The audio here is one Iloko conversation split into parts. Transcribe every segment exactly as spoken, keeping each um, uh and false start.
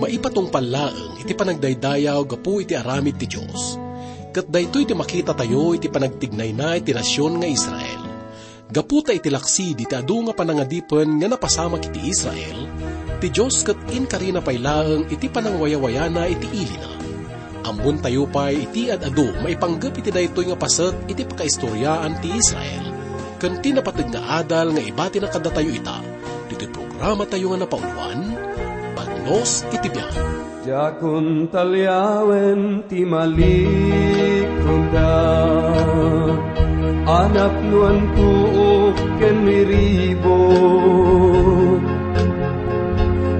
Ipatungpal laeng iti panagdaydayaw gapu iti aramid ti Dios. Ket daytoy ti makitatayo iti panagtignayna iti nasion nga Israel. Gapu ta iti laksi diti adu nga panangadipen nga napasamak iti Israel, ti Dios ket inkarina pay laeng iti panangwayawayana iti ilina. Ammontayo pay iti ad-adu maipanggep iti daytoy nga paset iti pakaistoriaan ti Israel ken ti napateg nga adal nga ibatina kadatayo ita, ditoy programatayo nga napauloan, Bagnos iti Biag. Diakon taliawen ti malikuda, a napnoan tuok ken miribot.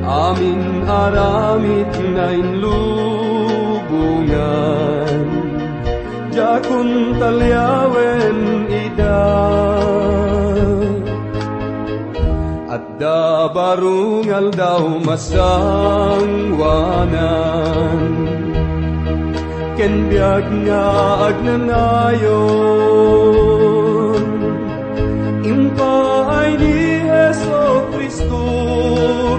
Amin aramid na inlubongan, diakon taliawen ida. Adda baro nga aldaw masangwanan, ken biag nga agnanayon. Impaay ni Jesu-Cristo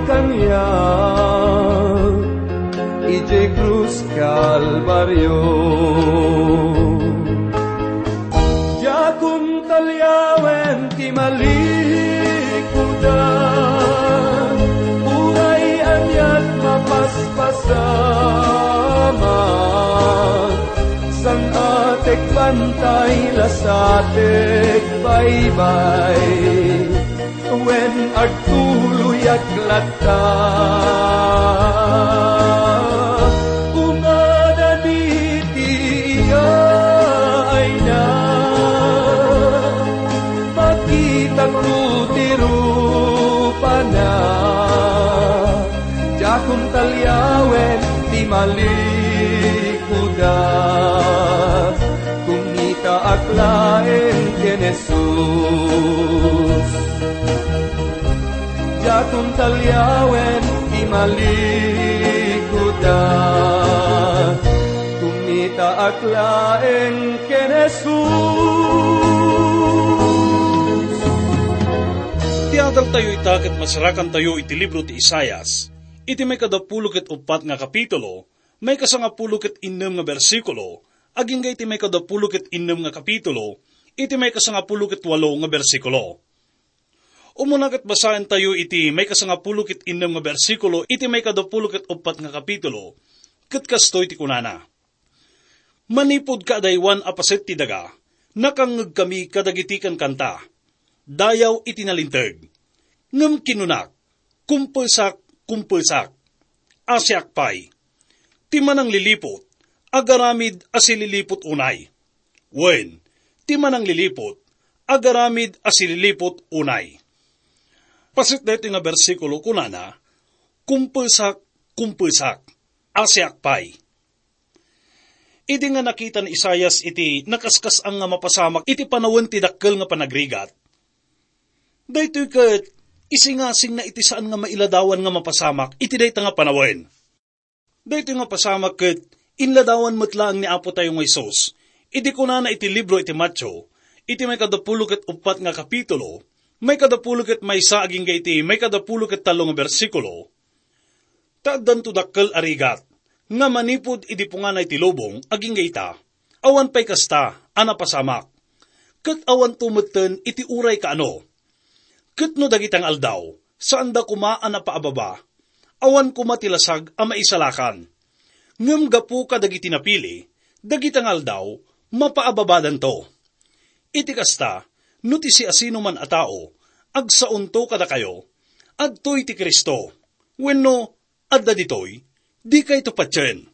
kaniak idiay krus Kalbario. Diakon taliawen ti malikudan, uray aniat mapaspasamak, saan-atek bantay, lasatek baybay, wen agtuloyak latta. Umadani ti iyaayna, makitakto ti rupana. Diakon taliawen ti malikuda, kumitaak laeng ken Jesus. Diakon taliawen ti malikuda, kumitaak laeng ken Jesus. Ti adaltayo ita ket masarakantayo iti libro ti Isaias, iti maikadapulo ket uppat nga kapitulo, maikasangapulo ket innem nga bersikulo, agingga iti maikadapulo ket innem nga kapitulo, iti maikasangapulo ket walo nga bersikulo. Umuna ket basaentayo iti maikasangapulo ket innem nga bersikulo iti maikadapulo ket uppat nga kapitulo, ket kastoy ti kunana: Manipud kaadaywan a paset ti daga, nakangngegkami kadagiti kankanta, dayaw iti nalinteg. Ngem kinunak, "Kumpesak, kumpesak, asiak pay." Ti manangliliput, agaramid a sililiput unay. Wen, ti manangliliput, agaramid a sililiput unay. Paset daytoy nga bersikulo, kunana: "Kumpesak, kumpesak, asiak pay." Idi nga nakita ni Isaias iti nakaskas-an nga mapasamak iti panawen ti dakkel nga panagrigat, daytoy ket isingasingna iti saan nga mailadawan nga mapasamak iti dayta nga panawen. Daytoy nga pasamak ket inladawan met laeng ni Apo tayo nga Jesus idi kunana iti libro iti Mateo, iti maikadapulo ket uppat nga kapitulo, maikadapulo ket maysa agingga iti maikadapulo ket tallo nga bersikulo, ta addanto dakkel a rigat nga manipud idi pungana iti lubong agingga ita, awan pay kasta a napasamak, ket awanto metten iti uray kaano. Ket no dagita nga aldaw, saanda koma a napaababa, awan koma ti lasag a maisalakan. Ngem gapu kadagiti napili, dagita nga aldaw, mapaababadanto. Iti kasta, no ti siasinoman a tao, agsaonto kadakayo, adtoy ti Cristo. Wenno, adda ditoy, dikayto patien.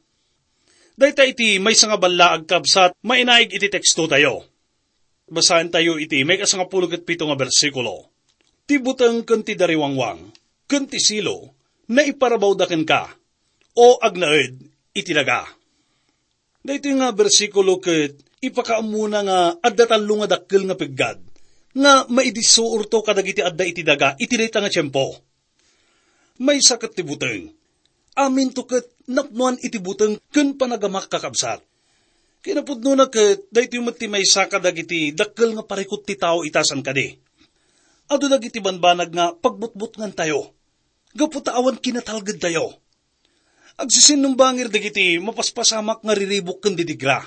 Dayta iti maysa nga ballaag, kabsat, mainaig iti tekstotayo. Basaentayo iti maikasangapulo ket pito nga bersikulo. "Ti buteng ken ti dariwangwang, ken ti silo, naiparabawda kenka, O agnaed iti daga." Daytoy nga bersikulo ket ipakaammona nga adda tallo nga dakkel nga peggad nga maidissuorto kadagiti adda iti daga iti dayta nga tiempo. Maysa ket ti buteng. Aminto ket napnoan iti buteng ken panagamak, kakabsat. Kinapudnona ket daytoy met ti maysa kadagiti dakkel nga parikut ti tao ita saan kadi. Adu dagiti banbanag nga pagbutbutngantayo gapu ta awan kinatalgedtayo. Agsisinnumbangir dagiti mapaspasamak nga riribuk ken didigra.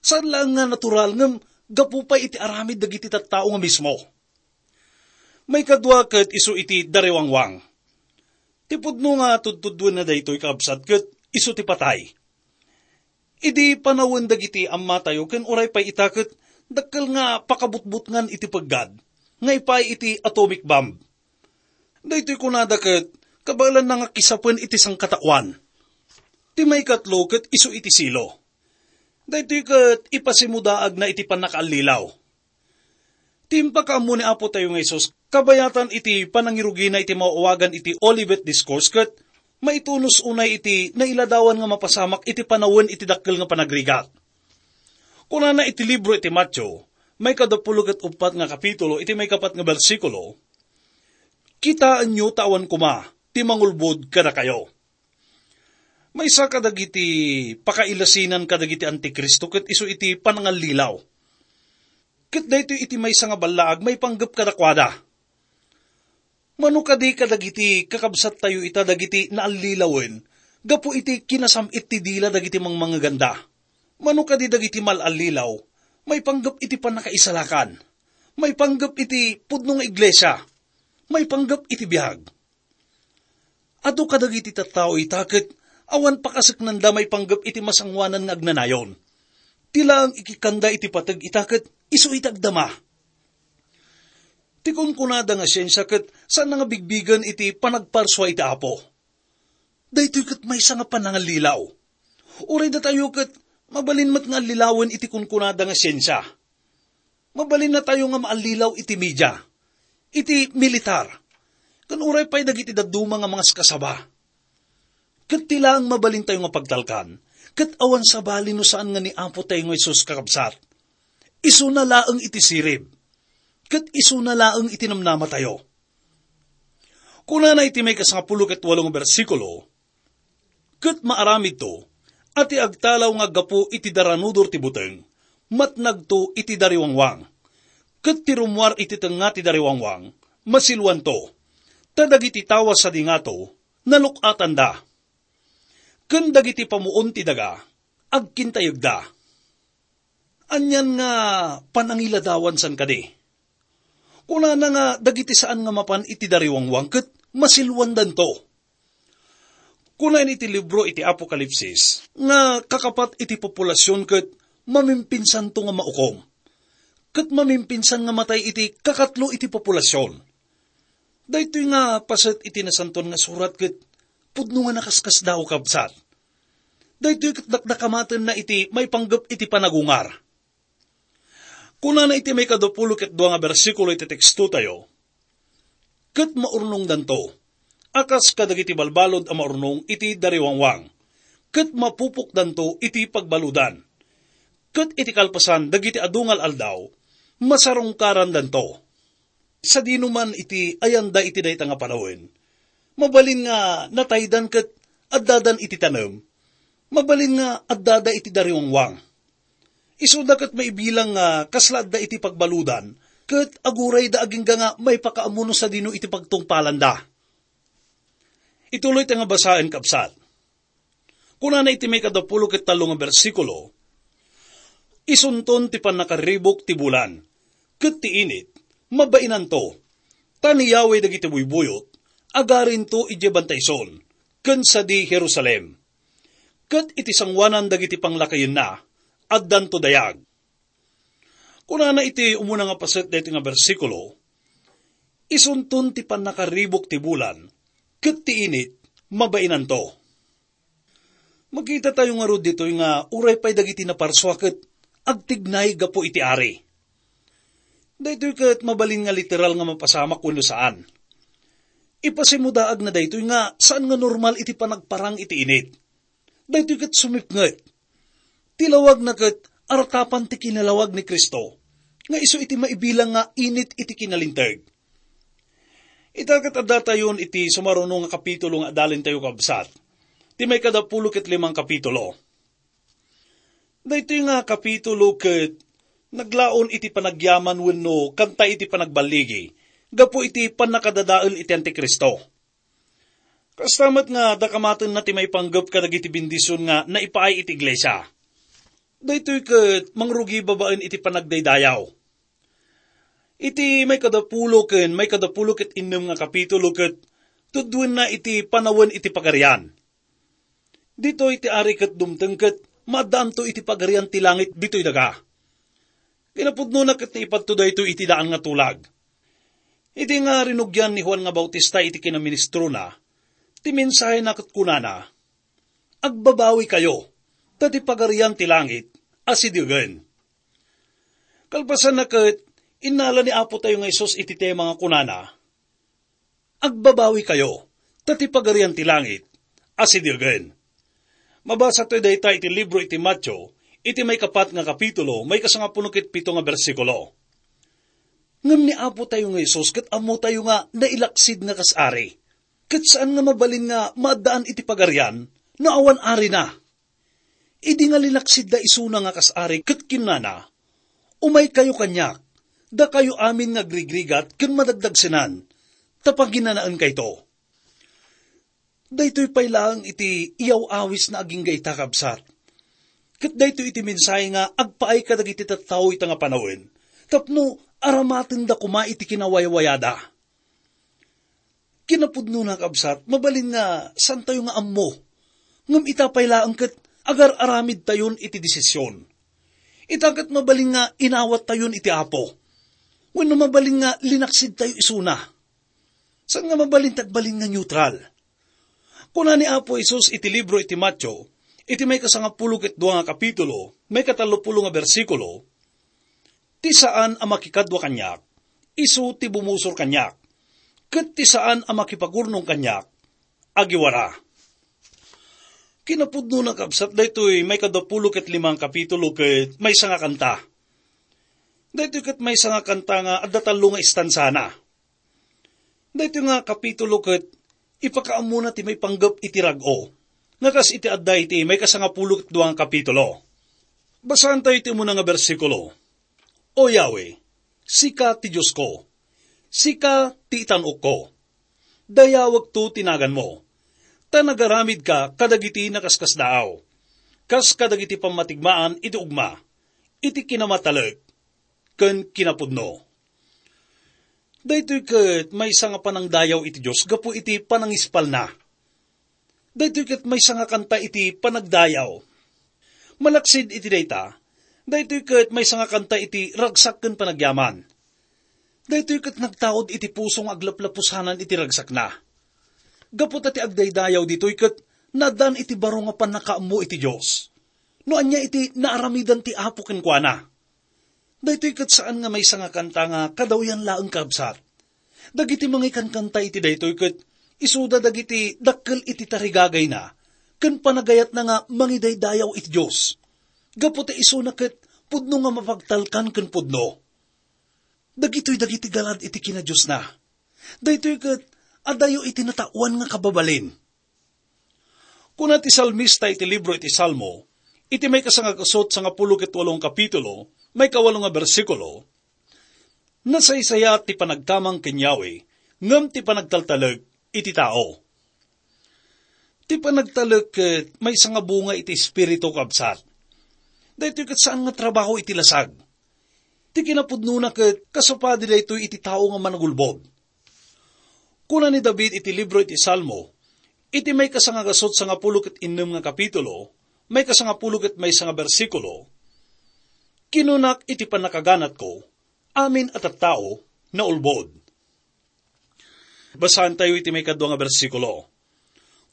Saan laeng nga natural ngem gapu pay iti aramid dagiti tattao nga mismo. Maikadua ket isu iti dariwangwang. Ti pudno nga tudtuduen na daytoy, kaabsat, ket isu ti patay. Idi panawen dagiti ammatayo ken uray pay ita ket dakkel nga pakabutbutngan iti peggad nga ipaay iti atomic bomb. Daytoy kunada ket kabaelanna nga kisapen iti sangkataoan. Ti maikatlo ket isu iti silo. Daytoy ket ipasimudaagna iti pannakaallilaw. Ti impakaammo ni Apo tayo nga Jesus, kabayatan iti panangirugina iti maawagan iti Olivet Discourse ket maitunos unay iti nailadawan nga mapasamak iti panawen iti dakkel nga panagrigat. Kunana iti libro iti Mateo, maikadapulo ket uppat nga kapitulo, iti maikapat nga bersikulo, "Kitaenyo ta awan koma ti mangulbod kadakayo." Maysa kadagiti pakailasinan kadagiti Antikristo ket isu iti panangallilaw. Ket daytoy iti maysa nga ballaag maipanggep kadakuada. Mano kadi kadagiti kakabsattayo ita dagiti naallilawen gapu iti kinasam-it ti dila dagiti mangmangeganda? Mano kadi dagiti mal-allilaw maipanggep iti pannakaisalakan, maipanggep iti pudno nga iglesia, maipanggep iti biag? Adu kadagiti tattao ita ket awan pakaseknanda maipanggep iti masangoanan nga agnanayon. Ti laeng ikikkanda iti pateg ita ket isu iti agdama. Ti kunkunada nga siensia ket saan nga bigbigen iti panagparsua iti Apo. Daytoy ket maysa nga panangallilaw. Uray datayo ket mabalin met nga allilawen iti kunkunada nga siensia. Mabalinna tayo nga maallilaw iti media, iti militar, ken uray pay dagiti dadduma nga mangaskasaba. Ket ti laeng mabalintayo nga pagtalkan, ket awan sabali no saan nga ni Apo tayo nga Jesus, kakabsat. Isuna laeng iti sirib, ket isuna laeng iti namnamatayo. Kunana iti maikasangapulo ket walo nga bersikulo, "Ket maaramidto a ti agtalaw nga aggapu iti daranudor ti buteng, matnagto iti dariwangwang. Ket ti rummuar iti tengnga ti dariwangwang, masiluanto, ta dagiti tawa sadi ngato, naluk-atanda. Ken dagiti pamuon ti daga, agkintayegda." Anian nga panangiladawan san kadi? Kunana nga dagiti saan nga mapan iti dariwangwang ket masiluandanto. Kunan iti libro iti Apokalipsis nga kakapat iti populasion ket mamimpinsanto nga maukom, ket mamimpinsan nga matay iti kakatlo iti populasion. Daytoy nga paset iti Nasantoan nga Surat ket pudno nga nakaskasdaaw, kabsat. Daytoy ket dakdakamatenna iti maipanggep iti panagungar. Kunana iti maikadapulo ket dua nga bersikulo iti tekstotayo, "Ket maurnongdanto a kas kadagiti balbalud a maurnong iti dariwangwang, ket mapupokdanto iti pagbaludan, ket iti kalpasan dagiti adu nga al-aldaw, masarungkarandanto." Sadino man iti ayanda iti dayta nga panawen, mabalin nga nataydan ket addadan iti tanem, mabalin nga addada iti dariwangwang. Isuda ket maibilang nga kasla adda iti pagbaludan, ket agurayda agingga nga maipakaammo no sadino iti pagtungpalanda. Ituloy ta nga basaen, kabsat. Kunana iti maikadapulo ket tallo nga bersikulo, "Isunton ti pannakarribuk ti bulan, ket ti init, mabainanto, ta ni Yahweh dagiti buybuyot, agarinto idiay bantay Sion, ken sadi Jerusalem. Ket iti sangoanan dagiti panglakayenna, addanto dayag." Kunana iti umuna nga paset daytoy nga bersikulo, "Isunton ti pannakarribuk ti bulan, ket ti init, mabainanto." Makita tayo ngarud ditoy nga uray pay dagiti naparsua ket agtignay gapu iti ari. Daytoy ket mabalin nga literal nga mapasamak wenno saan. Ipasimudaagna daytoy nga saan nga normal iti panagparang iti init. Daytoy ket sumipnget. Ti lawagna ket artapan ti kinalawag ni Cristo, nga isu iti maibilang nga init iti kinalinteg. Ita ket addatayon iti sumaruno nga kapitulo nga adalentayo, kabsat. Ti maikadapulo ket limang kapitulo. Daytoy nga kapitulo ket naglaon iti panagyaman wenno kanta iti panagballigi gapu iti pannakadadael iti Antikristo. Kasta met nga dakamatenna ti maipanggep kadagiti bendision nga naipaay iti iglesia. Daytoy ket mangrugi babaen iti panagdaydayaw. Iti maikadapulo ken maikadapulo ket innem nga kapitulo ket tudduenna iti panawen iti pagarian. Ditoy ti ari ket dumteng ket maaddaanto iti pagarian ti langit ditoy daga. Kinapudnona ket naipadto daytoy iti daan nga tulag. Idi nga rinugian ni Juan nga Bautista iti kinaministrona, ti mensahena ket kunana, "Agbabawikayo, ta ti pagarian ti langit asidegen." Kalpasanna ket, innala ni Apo tayo nga Jesus iti tema nga kunana, "Agbabawikayo, ta ti pagarian ti langit asidegen." Mabasa tayo dayta iti libro iti Mateo, iti maikapat nga kapitulo, maikasangapulo ket pito nga bersikulo. Ngem ni Apo tayo nga Jesus ket ammo tayo nga nailaksid nga kas ari. Ket saan nga mabalin nga maaddaan iti pagarian no awan arina. Idi nga linaksidda isuna nga kas ari ket kinnana, "Umaykayo kaniak, dakayo amin nga agrigrigat ken madagdagsenan, ta paginanaenkayto." Daytoy pay laeng iti iyaw-awisna agingga ita, kabsat. Ket daytoy iti mensahe nga agpaay kadagiti tattao ita nga panawen, tapno aramatenda koma iti kinawaywayada. Kinapudnona, kabsat, mabalin nga santayo nga ammo. Ngem ita pay laeng ket agar-aramidtayon iti desisyon. Ita ket mabalin nga inawattayon iti Apo. Wenno mabalin nga linaksidtayo isuna. Saan nga mabalin ti agbalin nga neutral. Kuna ni Apo Jesus iti libro iti Mateo, iti maikasangapulo ket dua nga kapitulo, maikatallopulo nga bersikulo, "Ti saan a makikadua kaniak, isu ti bumusor kaniak, ket ti saan a makipagurnong kaniak, agiwara." Kinapudnona, kabsat, daytoy maikadapulo ket lima nga kapitulo ket maysa nga kanta. Daytoy ket maysa nga kanta nga adda tallo nga istansana. Daytoy nga kapitulo ket ipakaammona ti maipanggep iti rag-o, nga kas iti adda iti maikasangapulo ket dua nga kapitulo. Basaantayo iti umuna nga bersikulo. "O Yahweh, sika ti Diosko, sika ti itan-okko. Dayawekto ti naganmo, ta nagaramidka kadagiti nakaskasdaaw, kas kadagiti pammatigmaan iti ugma, iti kinamatalek ken kinapudno." Daytoy ket maysa nga panangdayaw iti Dios gapu iti panangispalna. Daytoy ket maysa nga kanta iti panagdayaw. Malaksid iti dayta, daytoy ket maysa nga kanta iti ragsak ken panagyaman. Daytoy ket nagtaud iti puso nga aglaplapusanan iti ragsakna. Gapu ta ti agdaydayaw ditoy ket nadan iti baro nga pannakaammo iti Dios. No ania iti naaramidan ti Apo kenkuana. Daytoy ket saan nga maysa nga kanta nga kadawyan laeng, kabsat. Dagiti mangikankanta iti daytoy ket isuda dagiti dakkel iti tarigagayna ken panagayatna nga mangidaydayaw iti Dios. Gapu ta isuna ket pudno nga mapagtalkan ken pudno. Dagitoy dagiti galad iti kinadiosna. Daytoy ket adayo iti nataoan nga kababalin. Kuna ti salmista iti libro iti Salmo, iti maikasangagasut sangapulo ket walo nga kapitulo, maikawalo nga bersikulo, "Nasaysayat ti panagkamang ken Yahweh, ngem ti panagtaltalek iti tao." Ti panagtalek ket maysa nga bunga iti espiritu, kabsat. Daytoy ket saan nga trabaho iti lasag. Ti kinapudnona ket kasapadi daytoy iti tao nga managulbod. Kuna ni David iti libro iti Salmo, iti maikasangagasut sangapulo ket innem nga kapitulo, maikasangapulo ket maysa nga bersikulo, "Kinunak iti pannakaganatko, amin a tattao naulbod." Basaantayo iti maikadua nga bersikulo.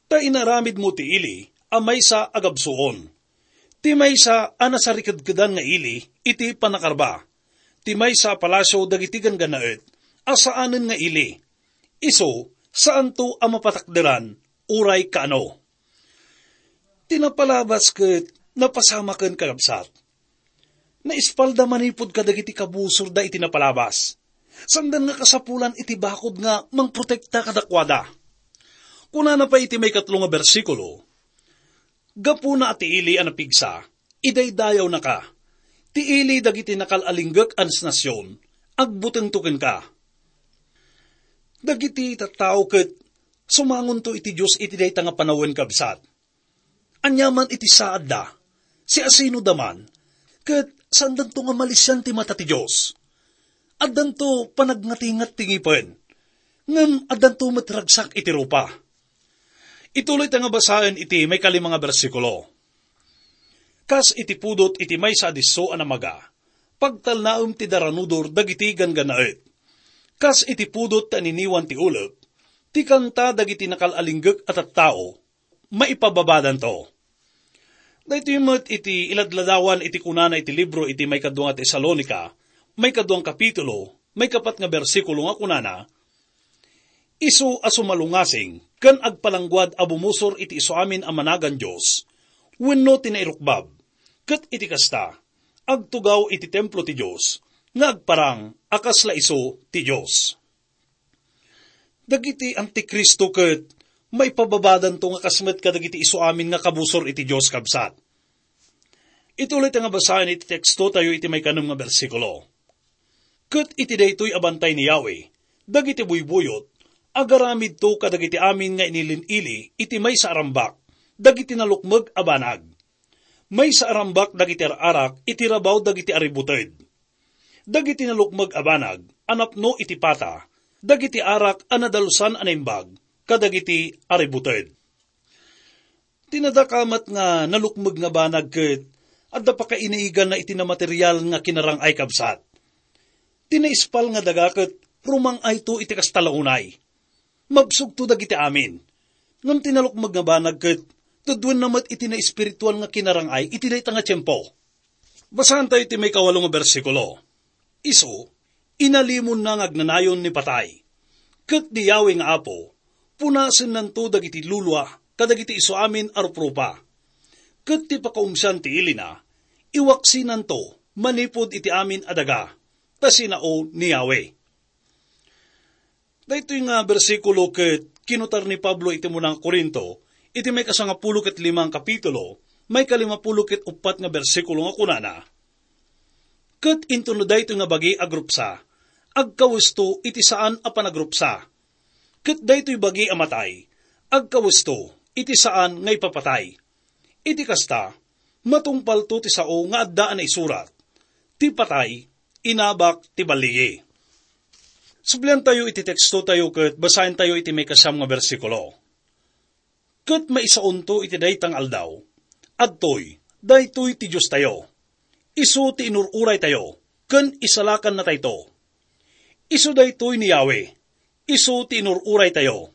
"Ta inaramidmo ti ili a maysa a gabsuon, ti maysa a nasarikedkedan nga ili iti pannakarba, ti maysa a palasio dagiti ganggannaet a saanen nga ili. Isu, saanto a mapatakderan uray kaano." Ti napalabas ket napasamaken, kakabsat. Naispalda manipud kadagiti kabusorda iti napalabas. Sandan nga kasapulan iti bakod nga mangprotekta kadakuada. Kunana pay iti maikatlo nga bersikulo, "Gapuna a ti ili a napigsa, idaydayawnaka. Ti ili dagiti nakal-alinggek a nasnasion, agbutengto kenka." Dagiti tattao ket Sumangonto iti Dios iti dayta nga panawen, kabsat. Aniaman iti saadda, siasinoda man, ket saandanto nga malisian ti mata ti Dios. Addanto panagnatingat ti ngipen, ngem addanto met ragsak iti rupa. Ituloy ta nga basaen iti maikalima nga bersikulo. Kas iti pudot iti maysa a disso a namaga, pagtalnaem ti daranudor dagiti ganggannaet. Kas iti pudot ti aniniwan ti ulep, ti kanta dagiti nakal-alinggek a tattao, maipababadanto. Daytoy met iti iladladawan iti kunana iti libro iti maikadua nga Tesalonica, maikaduang kapitulo, maikapat nga bersikulo nga kunana, "Isu a sumalungasing ken agpalangguad a bumusor iti isuamin a managan Dios, wenno ti nairukbab, ket iti kasta, agtugaw iti templo ti Dios, nga agparang a kasla isu ti Dios." Dagiti antikristo ket maipababadanto nga kas met kadagiti isuamin nga kabusor iti Dios, kabsat. Ituloy ta nga basaen iti teksto tayo iti maikanem nga bersikulo. Ket iti daytoy a bantay ni Yahweh, dagiti buybuyot, agaramidto kadagiti amin nga inilin-ili iti maysa a rambak, dagiti nalukmeg a banag. Maysa a rambak dagiti ar-arak iti rabaw dagiti aributed. Dagiti nalukmeg a banag a napno iti pata, dagiti arak a nadalusan a naimbag kadagiti aributed. Ti nadakamat nga nalukmeg nga banag ket adda pakainiganna iti namaterial nga kinarang-ay, kabsat. Ti naispal nga daga ket rumang-ayto iti kasta la unay. Mabsogto dagiti amin. Ngem ti nalukmeg nga banag ket tudwenna met iti naespiritual nga kinarang-ay iti dayta nga tiempo. Basaentayo ti maikawalo nga bersikulo. Isu, inalimonna nga agnanayon ni patay. Ket ni Yahweh nga Apo, punasennanto dagiti lulua kadagiti isuamin a ruprupa. Ket ti pakaumsian ti ilina, iwaksinanto manipud iti amin a daga, ta sinao ni Yahweh. Daytoy nga bersikulo ket kinutar ni Pablo iti umuna nga Corinto, iti maikasangapulo ket lima nga kapitulo, maikalimapulo ket uppat nga bersikulo nga kunana, "Ket intono daytoy nga bagi a grupsa, agkawesto iti saan a panagrupsa. Ket daytoy bagi a matay, agkawesto iti saan nga ipapatay. Iti kasta, matungpalto ti sao nga adda a naisurat, 'Ti patay, inabak ti balligi.'" Subliantayo iti tekstotayo ket basaentayo iti maikasiam nga bersikulo. "Ket maisaonto iti dayta nga aldaw. Adtoy, daytoy ti Diostayo. Isu ti inur-uraytayo, ken isalakannatayto. Isu daytoy ni Yahweh. Isu ti inur-uraytayo.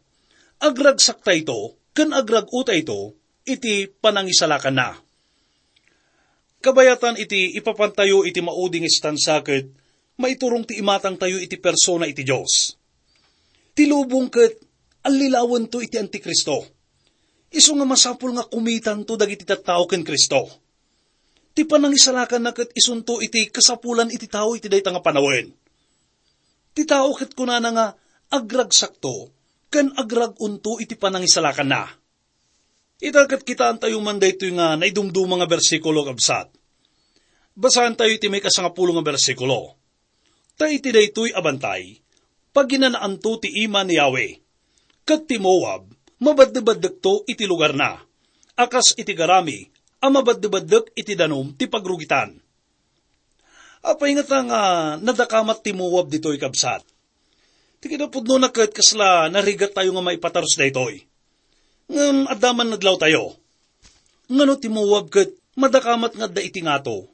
Agragsaktayto ken agrag-otayto iti panangisalakanna." Kabayatan iti ipapantayo iti maudi nga istansa ket maiturong ti imatangtayo iti persona iti Dios. Ti lubong ket allilawento iti Antikristo. Isu nga masapul nga kumitanto dagiti tattao ken Kristo. Ti panangisalakanna ket isunto iti kasapulan iti tao iti dayta nga panawen. Ti tao ket kunana nga agragsakto ken agrag-onto iti panangisalakanna. Ita ket kitaantayo man daytoy nga naidumduma nga bersikulo, kabsat. Basaentayo iti maikasangapulo nga bersikulo. Ta iti daytoy a bantay, paginanaanto ti ima ni Yahweh. Ket ti Moab, mabaddebaddekto iti lugarna, a kas iti garami a mabaddebaddek iti danum ti pagrugitan. Apay ngata nga nadakamat ti Moab ditoy, kabsat? Ti kinapudnona ket kasla narigattayo nga maipatarus daytoy. Ngem adda man nadlawtayo. Ngano ti Moab ket madakamat nga adda iti ngato?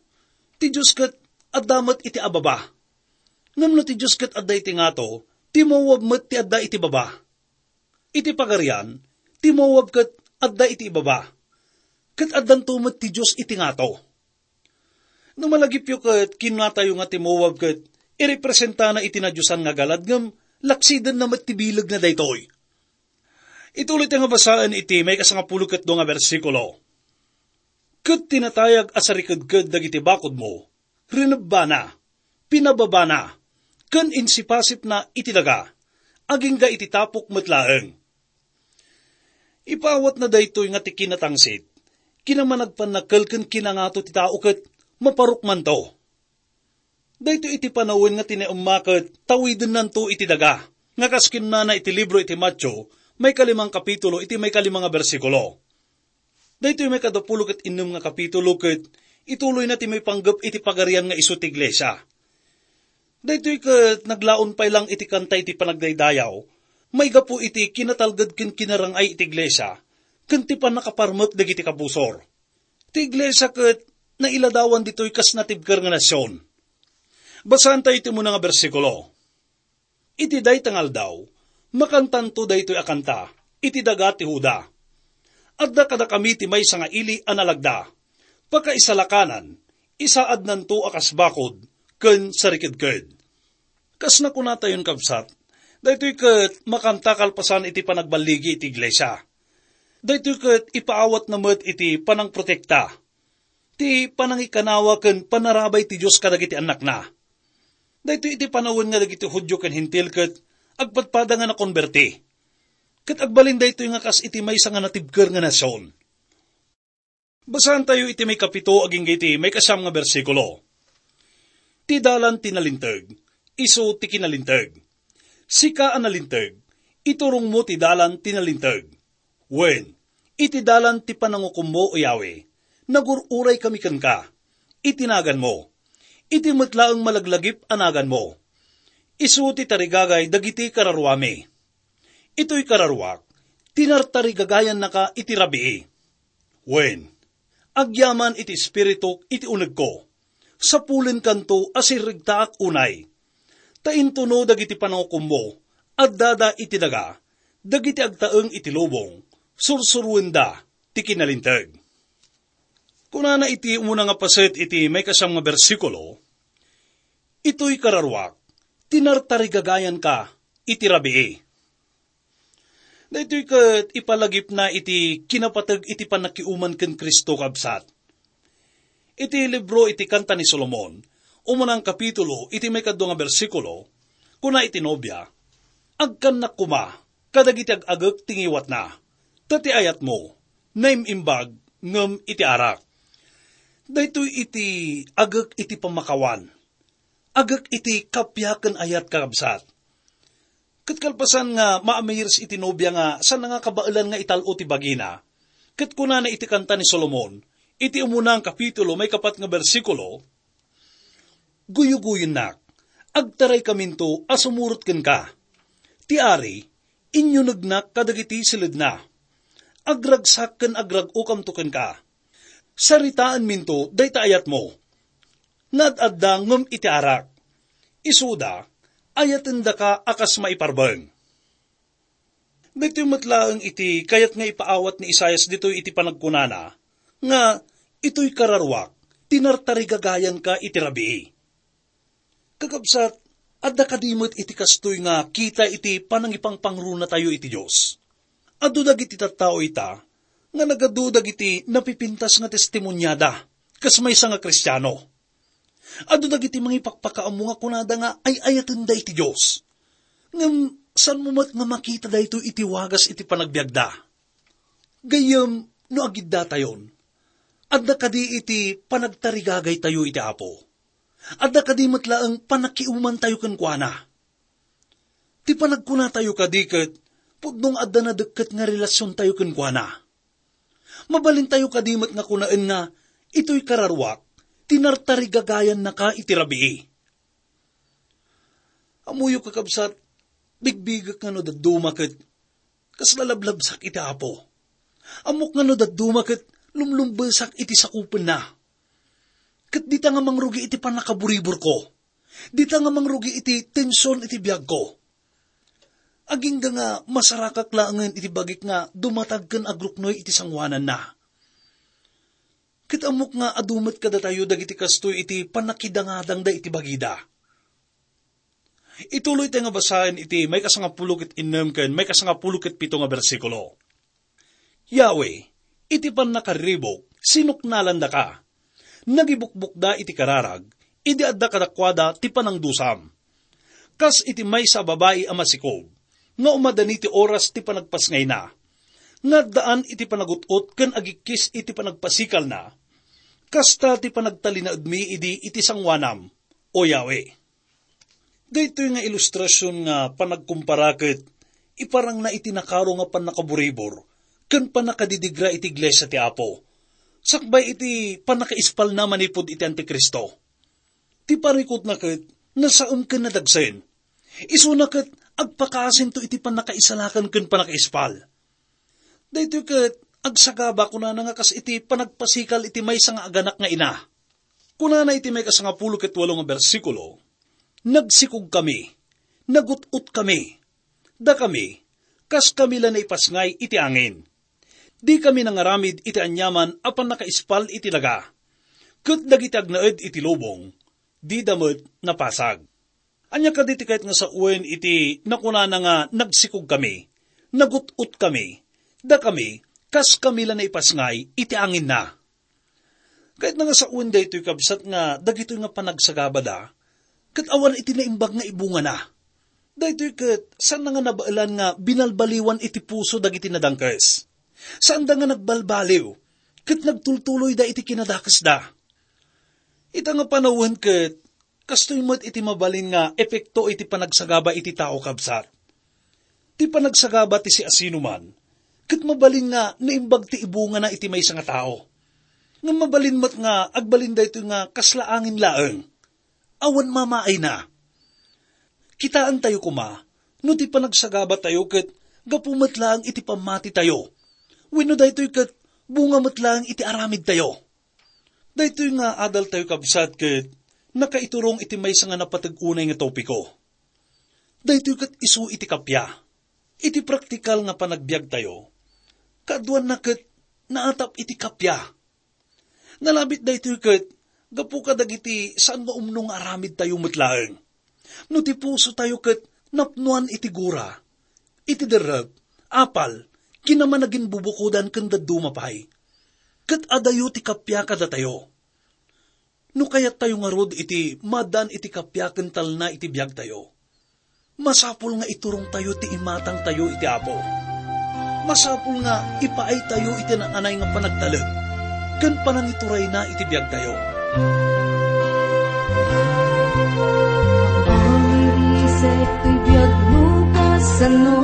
Ti Dios ket adda met iti ababa. Ngem no ti Dios ket adda iti ngato, ti Moab met ti adda iti baba. Iti Pagarian, ti Moab ket adda iti ibaba, ket addanto met ti Dios iti ngato. No malagipyo ket kinunatayo nga ti Moab ket irepresentana iti nadiosan nga galad ngem laksidenna met ti bilegna daytoy. Ituloy ta nga basaen iti maikasangapulo ket dua nga bersikulo. Ket ti natayag a sarikedked dagiti bakodmo, rinebbana, pinababana, ken insipasipna iti daga, agingga iti tapok met laeng. Ipaawatna daytoy nga ti kinatangsit, kinamanagpannakkel ken kinangato ti tao ket maparukmanto. Daytoy iti panawen nga ti naemma ket tawidennanto iti daga, nga kas kinunana iti libro iti Mateo, Maikalimang kapitulo iti maikalima nga bersikulo. Daytoy maikadapulo ket innem nga kapitulo ket ituloyna ti maipanggep iti pagarian nga isu ti iglesia. Daytoy ket naglaon pay lang iti kanta iti panagdaydayaw, maigapu iti kinatalged ken kinarang-ay iti iglesia, ken ti pannakaparmek dagiti kabusor. Ti iglesia ket nailadawan ditoy kas natibker nga nasion. Basaentayo iti umuna nga bersikulo. Iti dayta nga aldaw, makantanto daytoy a kanta iti daga ti Juda. Adda kadakami ti maysa nga ili a nalagda. Pakaisalakanan, isaadnanto a kas bakod ken sarikedked. Kas nakunatayon, kabsat, daytoy ket makanta kalpasan iti panagballigi iti iglesia. Daytoy ket ipaawatna met iti panangprotekta, ti panangikanawa ken panarabay ti Dios kadagiti annakna. Daytoy iti panawen nga dagiti Judio ken Hentil ket agpadpada nga nakonberti. Ket agbalin daytoy nga kas iti maysa nga natibker nga nasion. Basaentayo iti maikapito agingga iti maikasiam nga bersikulo. Ti dalan ti nalinteg, isu ti kinalinteg. Sika a nalinteg, iturongmo ti dalan ti nalinteg. Wen, iti dalan ti panangukommo, O Yahweh, nagur-uraykami kenka, iti naganmo. Iti met laeng malaglagip a naganmo. Isu ti tarigagay dagiti kararuami. Itoy kararuak, tinartarigagayannaka iti rabii. Wen, agyaman iti espirituk iti unegko. Sapulenkanto a sirregtaak unay. Ta intono dagiti panangukommo, addada iti daga, dagiti agtaeng iti lubong, sursuruenda ti kinalinteg. Kunana iti umuna nga paset iti maikasiam nga bersikulo, "Itoy kararuak, tinartarigagayanka iti rabii." Daytoy ket ipalagipna iti kinapateg iti pannakiuman ken Cristo, kabsat. Iti libro iti Kanta ni Solomon, umunang kapitulo, iti maikadua nga bersikulo, kuna iti nobia, "Agkannak koma kadagiti ag-agek ti ngiwatna, ta ti ayatmo, naim-imbag ngem iti arak." Daytoy iti agek iti pammakawan, agek iti kappia ken ayat, kakabsat. Ket kalpasan nga maamiris iti nobia nga saan nga kabaelan nga ital-o ti bagina, ket kunana iti Kanta ni Solomon, iti umuna nga kapitulo, maikapat nga bersikulo, "Guyugoyennak, agtaraykaminto a sumurot kenka. Ti ari, inyunegnak kadagiti siledna. Agragsak ken agrag-okamto kenka. Saritaenminto dayta ayatmo nga ad-adda ngem iti arak. Isuda, ayatendaka a kas maiparbeng." Daytoy met laeng iti kayat nga ipaawat ni Isaias ditoy iti panagkunana nga, "Itoy kararuak, tinartarigagayanka iti rabii." Kakabsat, adda kadi met iti kastoy nga kita iti panangipangpangrunatayo iti Dios? Adu dagiti tattao ita nga nagadu dagiti napipintas nga testimoniada kas maysa nga Kristiano. Adu dagiti mangipakpakaammo nga kunada nga ay-ayatenda iti Dios. Ngem saanmo met nga makita daytoy iti wagas iti panagbiagda. Gayyem, no agiddatayon, adda kadi iti panagtarigagaytayo iti Apo? Adda kadi met laeng pannakiumantayo kenkuana? Ti panagkunatayo kadi ket pudno nga adda nadekket nga relasiontayo kenkuana. Mabalintayo kadi met nga kunaen nga, "Itoy kararuak, tinartarigagayannaka iti rabii." Ammoyo, kakabsat, bigbigek nga no dadduma ket kasla lablabsak iti Apo. Ammok nga no dadduma ket lumlumbesak iti sakupenna. Ket dita nga mangrugi iti pannakaburiburko. Dita nga mangrugi iti tension iti biagko. Agingga nga masarakak laengen iti bagik nga dumatag ken agruknoy iti sangoananna. Ket ammok nga adu met kadatayo dagiti kastoy iti pannakidangadangda iti bagida. Ituloy tayo nga basaen iti maikasangapulo ket innem ken maikasangapulo ket pito nga bersikulo. "Yahweh, iti pannakarribuk, sinuknalandaka. Nagibukbukda iti kararag, idi adda kadakuada ti panangdusam. Kas iti maysa a babai a masikob, nga umadani ti oras ti panagpasngayna, nga addaan iti panagut-ot ken agikkis iti panagpasikalna, kasta ti panagtalinaedmi idi iti sangoanam, O Yahweh." Daytoy nga ilustrasion nga panagkumpara ket iparangna iti nakaro nga pannakaburibor ken pannakadidigra iti iglesia ti Apo, sakbay iti pannakaispalna manipud iti Antikristo. Ti parikutna ket nasaem ken nadagsen. Isuna ket agpakaasinto iti pannakaisalakan ken pannakaispal. Daytoy ket agsagaba, kunana, nga kas iti panagpasikal iti maysa nga aganak nga ina. Kunana iti maikasangapulo ket walo nga bersikulo, "Nagsikogkami, nagut-otkami, dakami, kaskami la naipasngay iti angin. Dikami nangaramid iti aniaman a pannakaispal iti daga, ket dagiti agnaed iti lubong, dida met napasag." Ania kadi ti kayat nga sawen iti nakunana nga, "Nagsikogkami, nagut-otkami, dakami, kaskami la naipasngay iti anginna"? Kayatna nga sawen daytoy, kabsat, nga dagitoy nga panagsagabada ket awan iti naimbag nga ibungana. Daytoy ket saanna nga nabaelan nga binalbaliwan iti puso dagiti nadangkes. Saanda nga nagbalbaliw ket nagtultuloyda iti kinadakesda. Ita nga panawen ket kastoy met iti mabalin nga epekto iti panagsagaba iti tao, kabsat. Ti panagsagaba ti siasinoman ket mabalin nga naimbag ti ibungana iti maysa nga tao. Ngem mabalin met nga agbalin daytoy nga kasla angin laeng. Awan mamaayna. Kitaentayo koma no ti panagsagabatayo ket gapu met laeng iti pammatitayo, wenno daytoy ket bunga met laeng iti aramidtayo. Daytoy nga adaltayo, kabsat, ket nakaiturong iti maysa nga napateg unay nga topiko. Daytoy ket isu iti kappia. Iti praktikal nga panagbiagtayo, kaaduanna ket naatap iti kappia. Nalabit daytoy ket gapu kadagiti saan nga umno nga aramidtayo met laeng. No ti pusotayo ket napnoan iti gura, iti derrep, apal, kinamanagin bubukodan ken dadduma pay, ket adayo ti kappia kadatayo. No kayattayo ngarud iti maaddaan iti kappia ken talna iti biagtayo, masapul nga iturongtayo ti imatangtayo iti Apo. Masapul nga ipaaytayo iti naan-anay nga panagtalek ken panangiturayna iti biagtayo. Mangirisek ti biagmo kasano.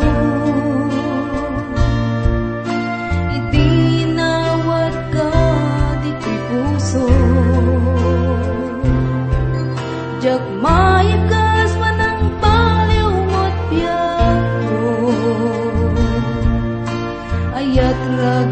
Iti nawat ka ditoy puso, diak maikas manang baliw met biagko. Ayat rag